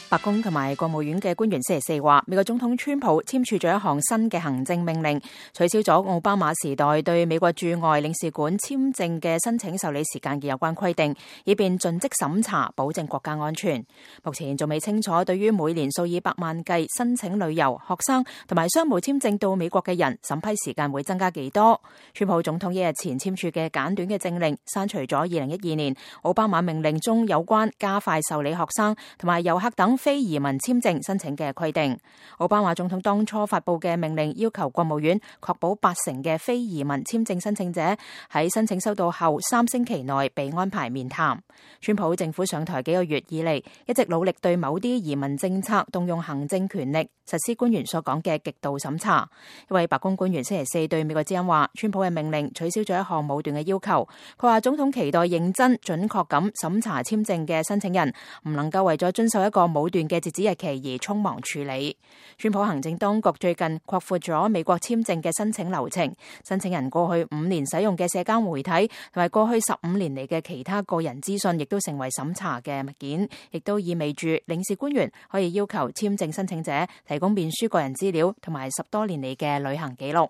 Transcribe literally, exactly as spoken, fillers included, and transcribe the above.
白宮同埋國務院嘅官員星期四話，美國總統川普簽署咗一項新嘅行政命令，取消咗奧巴馬時代對美國駐外領事館簽證嘅申請受理時間嘅有關規定，以便盡職審查，保證國家安全。目前仲未清楚對於每年數以百萬計申請旅遊、學生同埋商務簽證到美國嘅人，審批時間會增加幾多。川普總統一日前簽署嘅簡短嘅政令，刪除咗二零一二年奧巴馬命令中有關加快受理學生同埋遊客等非移民簽證申請嘅規定。奧巴馬總統當初發佈嘅命令要求國務院確保八成嘅非移民簽證申請者喺申請收到後三星期內被安排面談。川普政府上台幾個月以嚟，一直努力對某啲移民政策動用行政權力，實施官員所講嘅極度審查。一位白宮官員星期四對美國之音話，川普嘅命令取消咗一項武斷嘅要求。佢話總統期待認真準確咁審查簽證嘅申請人，唔能夠為咗遵守一個武斷嘅截止日期而匆忙處理。川普行政當局最近擴闊咗美國簽證嘅申請流程，申請人過去五年使用嘅社交媒體同埋過去十五年嚟嘅其他個人資訊，亦都成為審查嘅物件，亦都意味住領事官員可以要求簽證申請者提供面書個人資料同埋十多年嚟嘅旅行記錄。